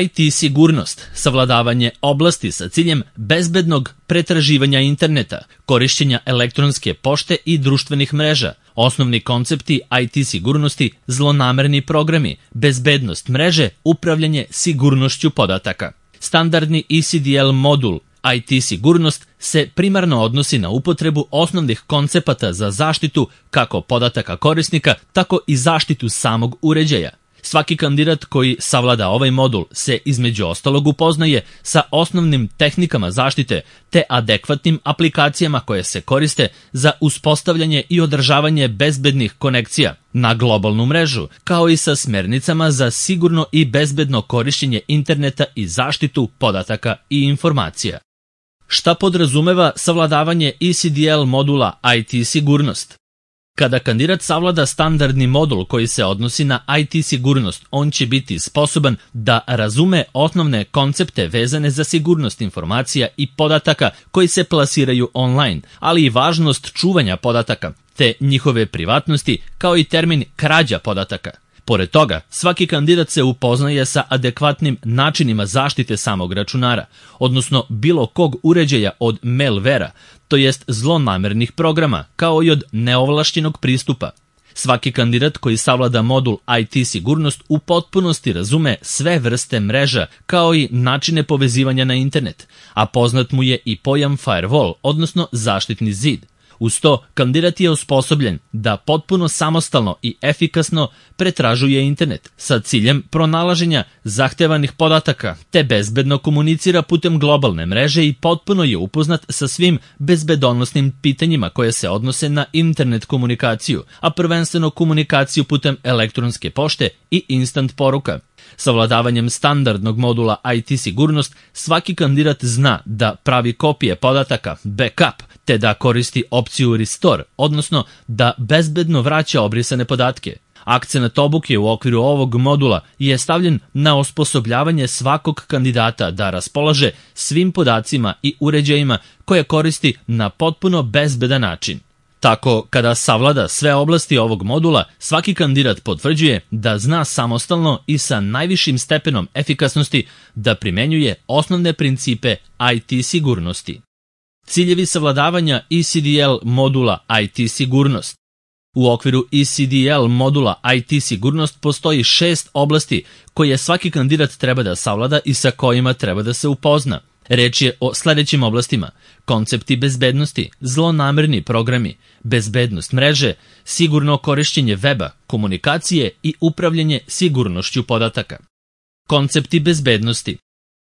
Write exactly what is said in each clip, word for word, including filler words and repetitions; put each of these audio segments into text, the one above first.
I T sigurnost, savladavanje oblasti sa ciljem bezbednog pretraživanja interneta, korišćenja elektronske pošte i društvenih mreža, osnovni koncepti I T sigurnosti, zlonamerni programi, bezbednost mreže, upravljanje sigurnošću podataka. Standardni E C D L modul I T sigurnost se primarno odnosi na upotrebu osnovnih koncepata za zaštitu kako podataka korisnika, tako i zaštitu samog uređaja. Svaki kandidat koji savlada ovaj modul se između ostalog upoznaje sa osnovnim tehnikama zaštite te adekvatnim aplikacijama koje se koriste za uspostavljanje i održavanje bezbednih konekcija na globalnu mrežu, kao i sa smernicama za sigurno i bezbedno korišćenje interneta i zaštitu podataka i informacija. Šta podrazumeva savladavanje E C D L modula I T sigurnost? Kada kandidat savlada standardni modul koji se odnosi na I T sigurnost, on će biti sposoban da razume osnovne koncepte vezane za sigurnost informacija i podataka koji se plasiraju online, ali i važnost čuvanja podataka, te njihove privatnosti, kao i termin krađa podataka. Pored toga, svaki kandidat se upoznaje sa adekvatnim načinima zaštite samog računara, odnosno bilo kog uređaja od malvera, to jest zlonamernih programa, kao i od neovlašćenog pristupa. Svaki kandidat koji savlada modul I T sigurnost u potpunosti razume sve vrste mreža, kao i načine povezivanja na internet, a poznat mu je i pojam firewall, odnosno zaštitni zid. Uz to, kandidat je osposobljen da potpuno samostalno i efikasno pretražuje internet sa ciljem pronalaženja zahtevanih podataka, te bezbedno komunicira putem globalne mreže i potpuno je upoznat sa svim bezbedonosnim pitanjima koje se odnose na internet komunikaciju, a prvenstveno komunikaciju putem elektronske pošte i instant poruka. Savladavanjem standardnog modula I T sigurnost, svaki kandidat zna da pravi kopije podataka, backup, te da koristi opciju restore, odnosno da bezbedno vraća obrisane podatke. Akcenat obuke u okviru ovog modula je stavljen na osposobljavanje svakog kandidata da raspolaže svim podacima i uređajima koje koristi na potpuno bezbedan način. Tako, kada savlada sve oblasti ovog modula, svaki kandidat potvrđuje da zna samostalno i sa najvišim stepenom efikasnosti da primenjuje osnovne principe I T sigurnosti. Ciljevi savladavanja E C D L modula I T sigurnost. U okviru E C D L modula I T sigurnost postoji šest oblasti koje svaki kandidat treba da savlada i sa kojima treba da se upozna. Reč je o sledećim oblastima: koncepti bezbednosti, zlonamerni programi, bezbednost mreže, sigurno korišćenje weba, komunikacije i upravljanje sigurnošću podataka. Koncepti bezbednosti.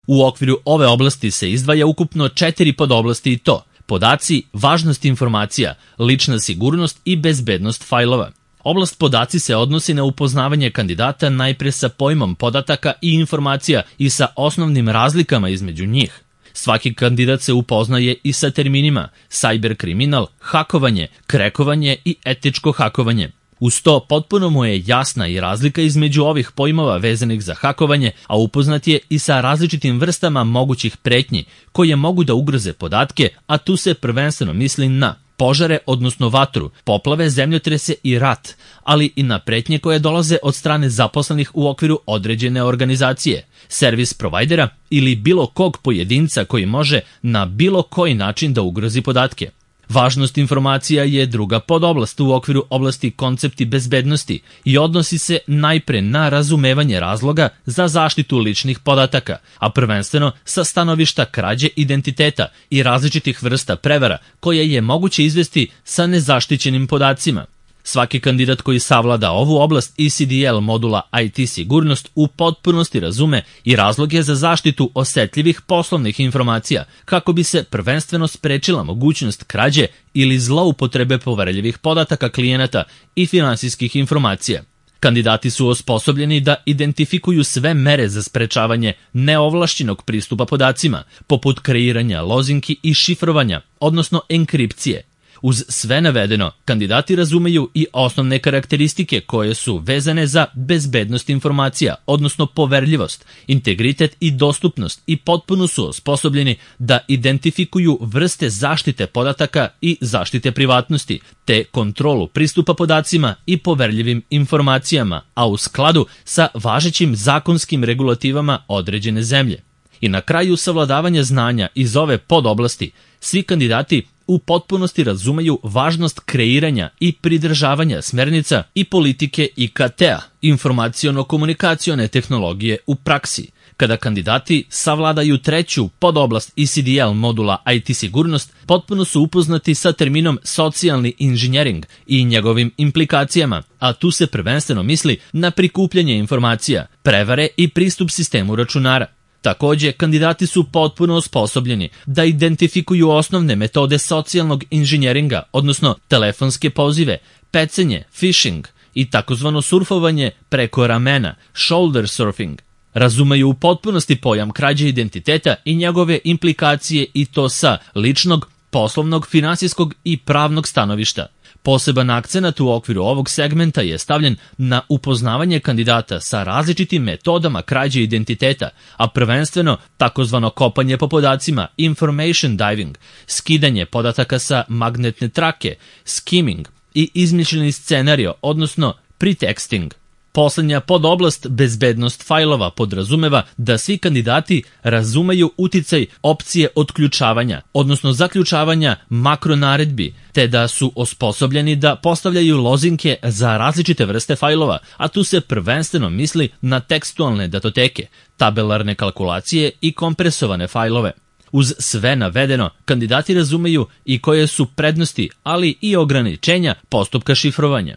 U okviru ove oblasti se izdvaja ukupno četiri podoblasti i to: podaci, važnost informacija, lična sigurnost i bezbednost fajlova. Oblast podaci se odnosi na upoznavanje kandidata najpre sa pojmom podataka i informacija i sa osnovnim razlikama između njih. Svaki kandidat se upoznaje i sa terminima cyberkriminal, hakovanje, krekovanje i etičko hakovanje. Uz to, potpuno mu je jasna i razlika između ovih pojmova vezanih za hakovanje, a upoznat je i sa različitim vrstama mogućih pretnji koje mogu da ugroze podatke, a tu se prvenstveno misli na požare, odnosno vatru, poplave, zemljotrese i rat, ali i na pretnje koje dolaze od strane zaposlenih u okviru određene organizacije, servis provajdera ili bilo kog pojedinca koji može na bilo koji način da ugrozi podatke. Važnost informacija je druga podoblast u okviru oblasti koncepti bezbednosti i odnosi se najpre na razumevanje razloga za zaštitu ličnih podataka, a prvenstveno sa stanovišta krađe identiteta i različitih vrsta prevara koje je moguće izvesti sa nezaštićenim podacima. Svaki kandidat koji savlada ovu oblast E C D L modula I T sigurnost u potpunosti razume i razloge za zaštitu osetljivih poslovnih informacija kako bi se prvenstveno sprečila mogućnost krađe ili zloupotrebe poverljivih podataka klijenata i finansijskih informacija. Kandidati su osposobljeni da identifikuju sve mere za sprečavanje neovlašćenog pristupa podacima, poput kreiranja lozinki i šifrovanja, odnosno enkripcije. Uz sve navedeno, kandidati razumeju i osnovne karakteristike koje su vezane za bezbednost informacija, odnosno poverljivost, integritet i dostupnost i potpuno su osposobljeni da identifikuju vrste zaštite podataka i zaštite privatnosti, te kontrolu pristupa podacima i poverljivim informacijama, a u skladu sa važećim zakonskim regulativama određene zemlje. I na kraju savladavanja znanja iz ove podoblasti, svi kandidati u potpunosti razumeju važnost kreiranja i pridržavanja smernica i politike I K T-a, informaciono-komunikacione tehnologije u praksi. Kada kandidati savladaju treću podoblast I C D L modula I T sigurnost, potpuno su upoznati sa terminom socijalni inženjering i njegovim implikacijama, a tu se prvenstveno misli na prikupljanje informacija, prevare i pristup sistemu računara. Takođe, kandidati su potpuno osposobljeni da identifikuju osnovne metode socijalnog inženjeringa, odnosno telefonske pozive, pecenje, phishing i takozvano surfovanje preko ramena, shoulder surfing. Razumeju u potpunosti pojam krađe identiteta i njegove implikacije i to sa ličnog, poslovnog, finansijskog i pravnog stanovišta. Poseban akcenat u okviru ovog segmenta je stavljen na upoznavanje kandidata sa različitim metodama krađe identiteta, a prvenstveno takozvano kopanje po podacima, information diving, skidanje podataka sa magnetne trake, skimming i izmišljeni scenario, odnosno pretexting. Poslednja podoblast bezbednost fajlova podrazumeva da svi kandidati razumeju uticaj opcije otključavanja, odnosno zaključavanja makronaredbi, te da su osposobljeni da postavljaju lozinke za različite vrste fajlova, a tu se prvenstveno misli na tekstualne datoteke, tabelarne kalkulacije i kompresovane fajlove. Uz sve navedeno, kandidati razumeju i koje su prednosti, ali i ograničenja postupka šifrovanja.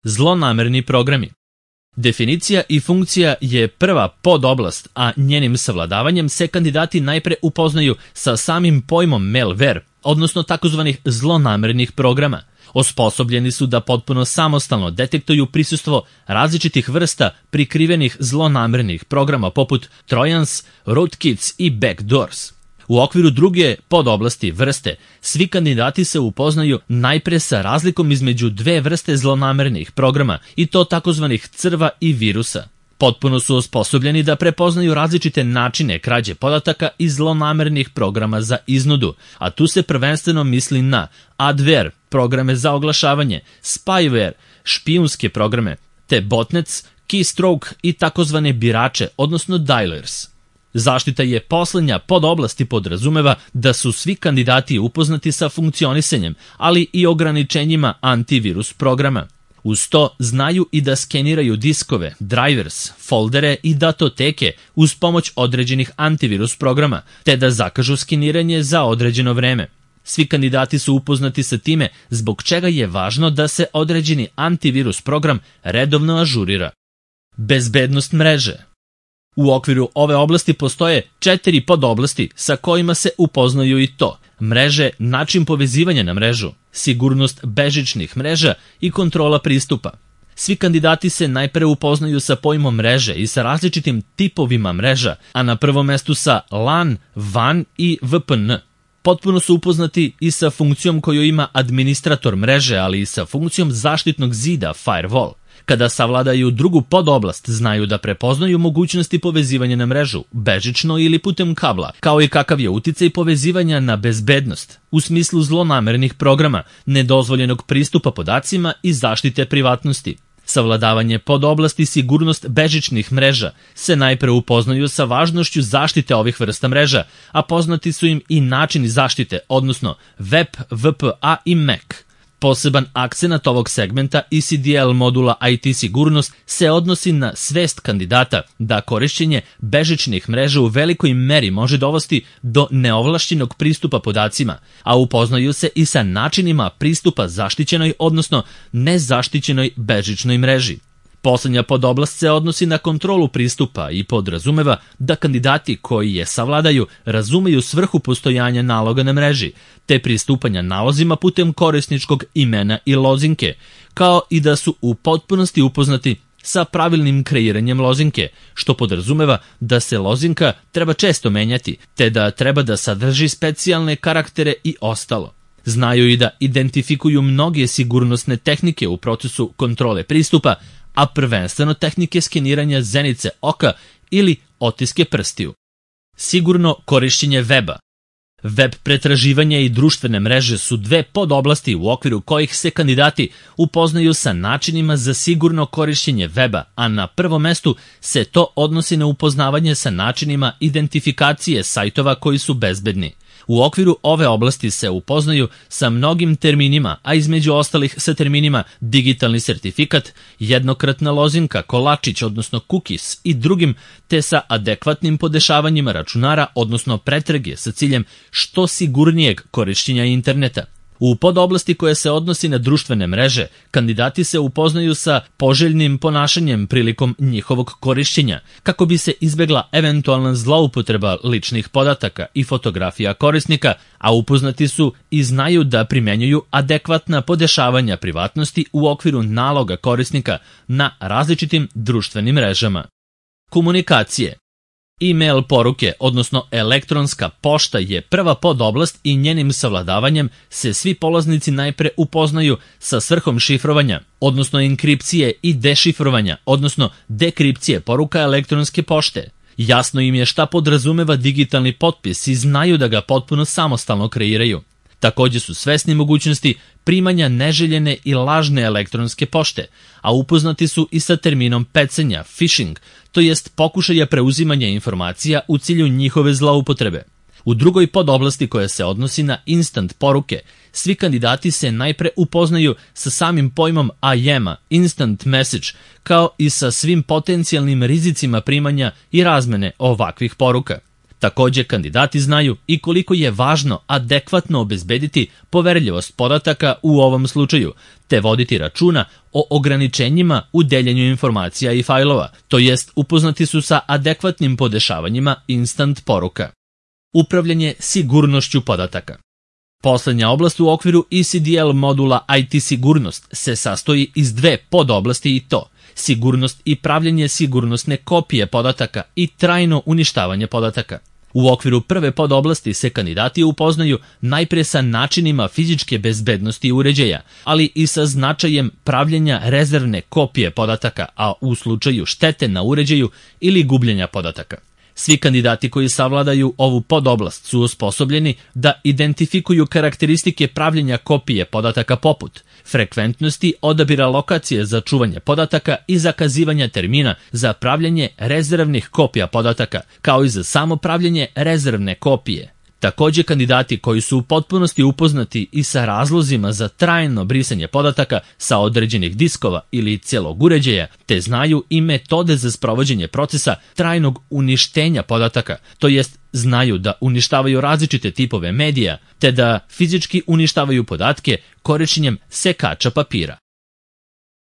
Zlonamerni programi. Definicija i funkcija je prva podoblast, a njenim savladavanjem se kandidati najpre upoznaju sa samim pojmom malware, odnosno takozvanih zlonamernih programa. Osposobljeni su da potpuno samostalno detektuju prisustvo različitih vrsta prikrivenih zlonamernih programa poput Trojans, Rootkits i Backdoors. U okviru druge podoblasti vrste, svi kandidati se upoznaju najpre sa razlikom između dve vrste zlonamernih programa i to takozvanih crva i virusa. Potpuno su osposobljeni da prepoznaju različite načine krađe podataka i zlonamernih programa za iznudu, a tu se prvenstveno misli na adware, programe za oglašavanje, spyware, špijunske programe, te botnets, keystroke i takozvane birače, odnosno dialers. Zaštita je poslednja podoblasti podrazumeva da su svi kandidati upoznati sa funkcionisanjem, ali i ograničenjima antivirus programa. Uz to znaju i da skeniraju diskove, drivers, foldere i datoteke uz pomoć određenih antivirus programa, te da zakažu skeniranje za određeno vreme. Svi kandidati su upoznati sa time zbog čega je važno da se određeni antivirus program redovno ažurira. Bezbednost mreže. U okviru ove oblasti postoje četiri podoblasti sa kojima se upoznaju i to: mreže, način povezivanja na mrežu, sigurnost bežičnih mreža i kontrola pristupa. Svi kandidati se najpre upoznaju sa pojmom mreže i sa različitim tipovima mreža, a na prvom mestu sa LAN, WAN i V P N. Potpuno su upoznati i sa funkcijom koju ima administrator mreže, ali i sa funkcijom zaštitnog zida firewall. Kada savladaju drugu podoblast, znaju da prepoznaju mogućnosti povezivanja na mrežu, bežično ili putem kabla, kao i kakav je uticaj povezivanja na bezbednost, u smislu zlonamernih programa, nedozvoljenog pristupa podacima i zaštite privatnosti. Savladavanje podoblasti sigurnost bežičnih mreža se najpre upoznaju sa važnošću zaštite ovih vrsta mreža, a poznati su im i načini zaštite, odnosno W E P, V P A i M A C. Poseban akcenat ovog segmenta I C D L modula I T sigurnost se odnosi na svest kandidata da korišćenje bežičnih mreža u velikoj meri može dovesti do neovlašćenog pristupa podacima, a upoznaju se i sa načinima pristupa zaštićenoj, odnosno nezaštićenoj bežičnoj mreži. Poslednja podoblast se odnosi na kontrolu pristupa i podrazumeva da kandidati koji je savladaju razumeju svrhu postojanja naloga na mreži, te pristupanja nalozima putem korisničkog imena i lozinke, kao i da su u potpunosti upoznati sa pravilnim kreiranjem lozinke, što podrazumeva da se lozinka treba često menjati, te da treba da sadrži specijalne karaktere i ostalo. Znaju i da identifikuju mnoge sigurnosne tehnike u procesu kontrole pristupa, a prvenstveno tehnike skeniranja zenice oka ili otiske prstiju. Sigurno korišćenje weba. Web pretraživanje i društvene mreže su dve podoblasti u okviru kojih se kandidati upoznaju sa načinima za sigurno korišćenje weba, a na prvom mestu se to odnosi na upoznavanje sa načinima identifikacije sajtova koji su bezbedni. U okviru ove oblasti se upoznaju sa mnogim terminima, a između ostalih sa terminima digitalni sertifikat, jednokratna lozinka, kolačić, odnosno cookies i drugim, te sa adekvatnim podešavanjima računara, odnosno pretrage sa ciljem što sigurnijeg korišćenja interneta. U podoblasti koja se odnosi na društvene mreže, kandidati se upoznaju sa poželjnim ponašanjem prilikom njihovog korišćenja, kako bi se izbegla eventualna zloupotreba ličnih podataka i fotografija korisnika, a upoznati su i znaju da primenjuju adekvatna podešavanja privatnosti u okviru naloga korisnika na različitim društvenim mrežama. Komunikacije. E-mail poruke, odnosno elektronska pošta, je prva podoblast i njenim savladavanjem se svi polaznici najpre upoznaju sa svrhom šifrovanja, odnosno enkripcije i dešifrovanja, odnosno dekripcije poruka elektronske pošte. Jasno im je šta podrazumeva digitalni potpis i znaju da ga potpuno samostalno kreiraju. Takođe su svesni mogućnosti primanja neželjene i lažne elektronske pošte, a upoznati su i sa terminom pecanja, phishing, to jest pokušaja preuzimanja informacija u cilju njihove zloupotrebe. U drugoj podoblasti koja se odnosi na instant poruke, svi kandidati se najpre upoznaju sa samim pojmom I M-a, instant message, kao i sa svim potencijalnim rizicima primanja i razmene ovakvih poruka. Takođe, kandidati znaju i koliko je važno adekvatno obezbediti poverljivost podataka u ovom slučaju, te voditi računa o ograničenjima u deljenju informacija i fajlova, to jest upoznati su sa adekvatnim podešavanjima instant poruka. Upravljanje sigurnošću podataka. Poslednja oblast u okviru E C D L modula I T sigurnost se sastoji iz dve podoblasti i to sigurnost i pravljenje sigurnosne kopije podataka i trajno uništavanje podataka. U okviru prve podoblasti se kandidati upoznaju najpre sa načinima fizičke bezbednosti uređaja, ali i sa značajem pravljenja rezervne kopije podataka, a u slučaju štete na uređaju ili gubljenja podataka. Svi kandidati koji savladaju ovu podoblast su osposobljeni da identifikuju karakteristike pravljenja kopije podataka poput frekventnosti odabira lokacije za čuvanje podataka i zakazivanja termina za pravljenje rezervnih kopija podataka, kao i za samo pravljenje rezervne kopije. Takođe, kandidati koji su u potpunosti upoznati i sa razlozima za trajno brisanje podataka sa određenih diskova ili celog uređaja, te znaju i metode za sprovođenje procesa trajnog uništenja podataka, to jest znaju da uništavaju različite tipove medija, te da fizički uništavaju podatke korišćenjem sekača papira.